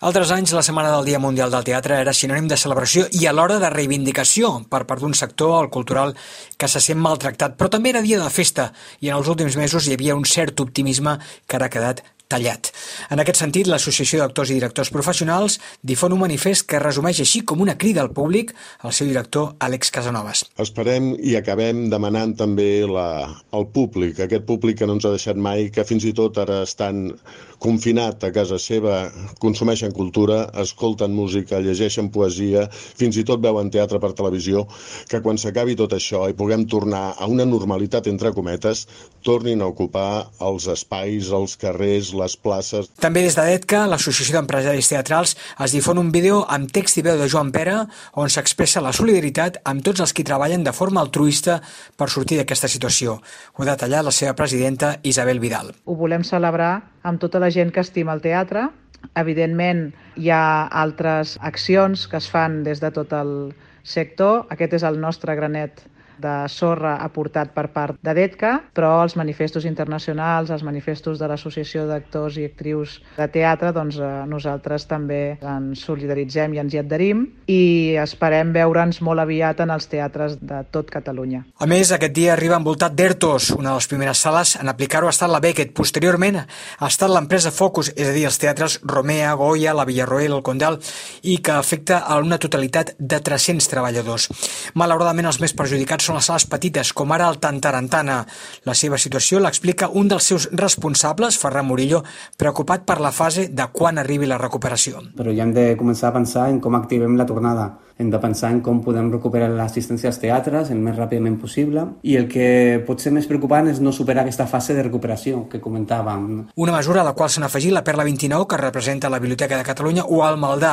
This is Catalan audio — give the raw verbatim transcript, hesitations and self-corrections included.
Altres anys, la Setmana del Dia Mundial del Teatre era sinònim de celebració i alhora de reivindicació per part d'un sector, el cultural, que se sent maltractat, però també era dia de festa i en els últims mesos hi havia un cert optimisme que ara ha quedat tallat. En aquest sentit, l'Associació d'Actors i Directors Professionals difon un manifest que resumeix així com una crida al públic al seu director, Àlex Casanovas. Esperem i acabem demanant també la, al públic, aquest públic que no ens ha deixat mai, que fins i tot ara estan confinat a casa seva, consumeixen cultura, escolten música, llegeixen poesia, fins i tot veuen teatre per televisió, que quan s'acabi tot això i puguem tornar a una normalitat entre cometes, tornin a ocupar els espais, els carrers, les places. També des de DETCA, l'Associació d'Empresaris Teatrals, es difon un vídeo amb text i veu de Joan Pera on s'expressa la solidaritat amb tots els qui treballen de forma altruista per sortir d'aquesta situació. Ho ha detallat la seva presidenta, Isabel Vidal. Ho volem celebrar amb tota la gent que estima el teatre. Evidentment, hi ha altres accions que es fan des de tot el sector. Aquest és el nostre granet de sorra aportat per part de DETCA, però els manifestos internacionals, els manifestos de l'Associació d'Actors i Actrius de Teatre, doncs eh, nosaltres també ens solidaritzem i ens hi adherim i esperem veure'ns molt aviat en els teatres de tot Catalunya. A més, aquest dia arriba envoltat d'ERTOs. Una de les primeres sales en aplicar-ho ha estat la Beckett. Posteriorment ha estat l'empresa Focus, és a dir, els teatres Romea, Goya, la Villarroel, el Condal, i que afecta a una totalitat de tres-cents treballadors. Malauradament, els més perjudicats són les sales petites, com ara el Tantarantana. La seva situació l'explica un dels seus responsables, Ferran Murillo, preocupat per la fase de quan arribi la recuperació. Però ja hem de començar a pensar en com activem la tornada. Hem de pensar en com podem recuperar l'assistència als teatres el més ràpidament possible i el que pot ser més preocupant és no superar aquesta fase de recuperació que comentàvem. Una mesura a la qual s'han afegit la Perla vint-i-nou, que representa la Biblioteca de Catalunya, o el Maldà.